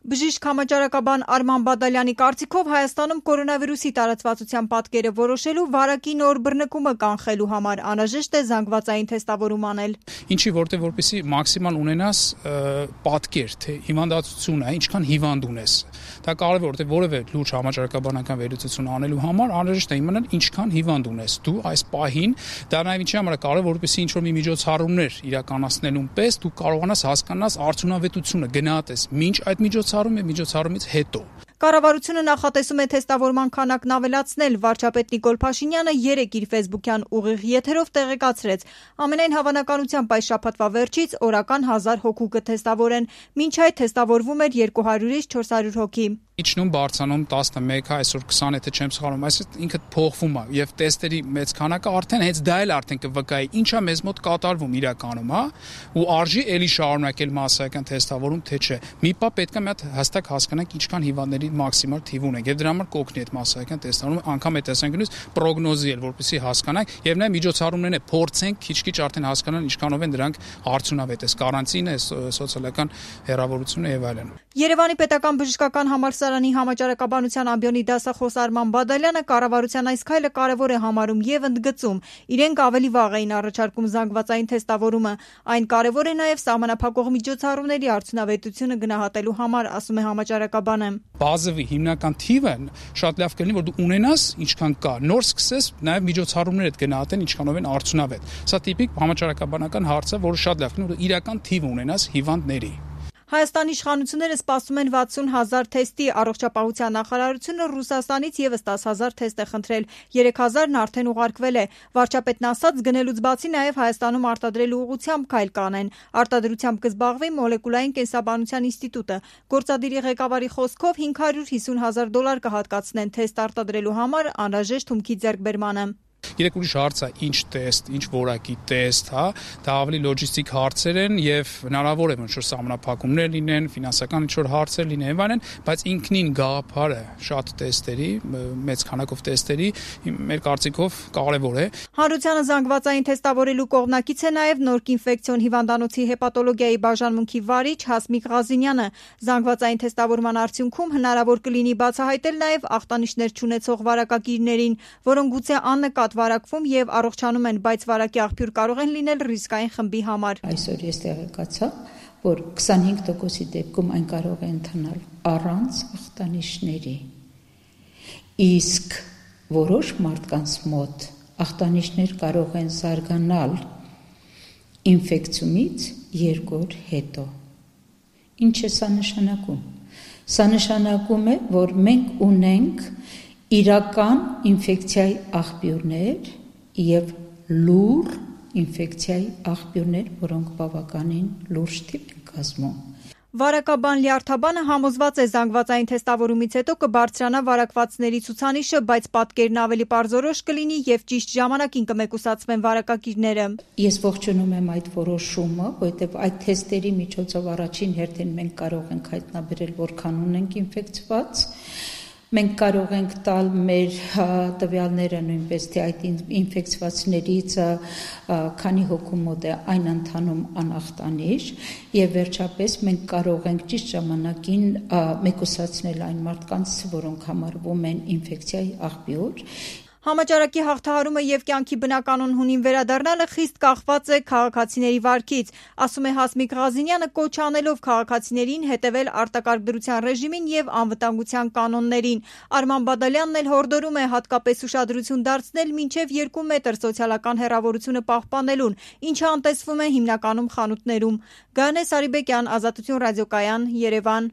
Բժիշկ համաճարակաբան Արման Բադալյանի կարծիքով Հայաստանում կորոնավիրուսի տարածվածության պատկերը որոշելու վարակի նոր բռնկումը կանխելու համար անհրաժեշտ է զանգվածային թեստավորում անել։ Ինչի որպեսզի մաքսիմալ ունենաս պատկեր, թե հիվանդացությունն է, ինչքան հիվանդ ունես։ Դա կարևոր է, որևէ լուրջ համաճարակաբանական վերլուծություն անելու համար անհրաժեշտ է իմանալ ինչքան հիվանդ ունես դու այս պահին։ Դա նաև ինչի համար է կարևոր, որպեսզի ինչ-որ մի միջոցառումներ իրականացնելուն պես դու կարողանաս հասկանաս արդյունավետությունը, գնահատես մինչ այդ միջոցառումից հետո։ Կառավարությունը նախատեսում է թեստավորման քանակն ավելացնել։ Վարչապետ Նիկոլ Փաշինյանը երեկ իր ֆեյսբուքյան ուղիղ եթերով տեղեկացրեց. ամենայն հավանականությամբ այս շաբաթվա վերջից օրական 1000 հոգու կթեստավորեն։ Մինչ այդ թեստավորվում էր 200-ից 400 հոգի։ Իջնում բարձրանում 11, այսօր 20, եթե չեմ սխալվում, այսինքն ինքը փոխվում է եւ տեստերի մեծ քանակը արդեն հենց դա էլ արդեն կվկայի ինչա մեզ մոտ կատարվում իրականում, ու արժի էլի շարունակել մասսայական թեստավորում, թե չէ։ Մի բան պետք է մի հատ հստակ հասկանանք ինչքան հիվանդների մաքսիմալ թիվ ունենք եւ դրա համար կօգնի այդ մասսայական թեստավորումը անգամ այդ տեսանկյունից պրոգնոզել, որպեսզի հասկանանք եւ նաեւ միջոցառումներն է փորձենք քիչ-քիչ արդեն հասկանալ ինչքանով են դրանք արդյունավետ է, կարանտինը, սոցիալական հեռավորությունը եւ այլն։ Երևանի պետական բժշկական համալսարանի համաճարակաբանության ամբիոնի դասախոս Արման Բադալյանը կառավարության այս քայլը կարևոր է համարում եւ ընդգծում. իրենք ավելի վաղ էին առաջարկում զանգվածային թեստավորումը, այն կարևոր է նաեւ սահմանափակող միջոցառումների արդյունավետությունը գնահատելու համար, ասում է համաճարակաբանը։ Բազովի հիմնական թիվը շատ լավ կլինի, որ դու ունենաս ինչքան կա, նոր սկսես նաեւ միջոցառումներ գնահատեն ինչքանով են արդյունավետ։ Սա տիպիկ համաճարակաբանական հարց է, որը շատ լավ կլինի, որ իրական թիվ ունենաս հիվանդների։ Հայաստանի իշխանությունները սպասում են 60,000 թեստի, առողջապահության նախարարությունը Ռուսաստանից եւս 10,000 թեստ է խնդրել, 3,000-ն արդեն ուղարկվել է։ Վարչապետն ասաց, գնելուց բացի նաեւ Հայաստանում արտադրելու ուղղությամբ քայլ կանեն։ Արտադրությամբ կզբաղվի մոլեկուլային կենսաբանության ինստիտուտը։ Գործադիրի ղեկավարի խոսքով $550,000 կհատկացնեն թեստ արտադրելու համար անհրաժեշտ հումքի ձեռքբերմանը։ Երեք ուրիշ հարց է, ինչ տեստ, ինչ որակի տեստ, դա ավելի լոջիստիկ հարցեր են եւ հնարավոր է որ սահմանափակումներ լինեն, ֆինանսական ինչ-որ հարցեր լինեն եւ այլն, բայց ինքնին գաղափարը շատ տեստերի, մեծ քանակով տեստերի մեր կարծիքով կարեւոր է։ Հանրությանը զանգվածային թեստավորելու կողմնակից է նաեւ Նորք ինֆեկցիոն հիվանդանոցի հեպատոլոգիայի բաժանմունքի վարիչ Հասմիկ Ղազինյանը։ Զանգվածային թեստավորման արդյունքում հնարավոր կլինի բացահայտել նաեւ ախտանիշներ չունեցող վարակագիրներին, որոնք գուցե աննկատ վարակվում եւ առողջանում են, բայց վարակի աղբյուր կարող են լինել ռիսկային խմբի համար։ Այսօր ես տեղեկացա, որ 25%-ի դեպքում այն կարող է ընթանալ առանց ախտանիշների։ Իսկ որոշ մարդկանց մոտ ախտանիշներ կարող են զարգանալ ինֆեկցիոնից 2 օր հետո։ Ինչ է սա նշանակում։ Սա նշանակում է, որ մենք ունենք իրական ինֆեկցիայի աղբյուրներ եւ լուր ինֆեկցիայի աղբյուրներ, որոնք բավականին լուրջ թիվ են կազմում։ Վարակաբան Լիարթաբանը համոզված է զանգվածային թեստավորումից հետո կբարձրանա վարակվածների ցուցանիշը, բայց պատկերն ավելի պարզորոշ կլինի եւ ճիշտ ժամանակին կմեկուսացվեն վարակագիրները։ Ես ողջունում եմ այդ որոշումը, որովհետեւ այդ թեստերի միջոցով առաջին հերթին մենք կարող ենք հայտնաբերել որքան ունենք ինֆեկցված։ Մենք կարող ենք տալ մեր տվյալները նույնպես թե այդ ինֆեկցվածներից քանի հոգու մոտ է այն ընթանում անախտանիշ եւ վերջապես մենք կարող ենք ճիշտ ժամանակին մեկուսացնել այն մարդկանց, որոնք համարվում են ինֆեկցիայի աղբյուր։ Համաճարակի հաղթահարումը եւ կյանքի բնականon հունին վերադառնալը խիստ կախված է քաղաքացիների վարքից, ասում է Հասմիկ Ղազինյանը, կոչ անելով քաղաքացիներին հետևել արտակարգ ռեժիմին եւ անվտանգության կանոններին։ Արման Բադալյանն էլ հորդորում է հատկապես ուշադրություն դարձնել մինչեւ 2 մետր սոցիալական հեռավորությունը պահպանելուն, ինչը անտեսվում է հիմնականում խանութներում։ Գայանե Սարիբեկյան, Ազատություն ռադիոկայան, Երևան։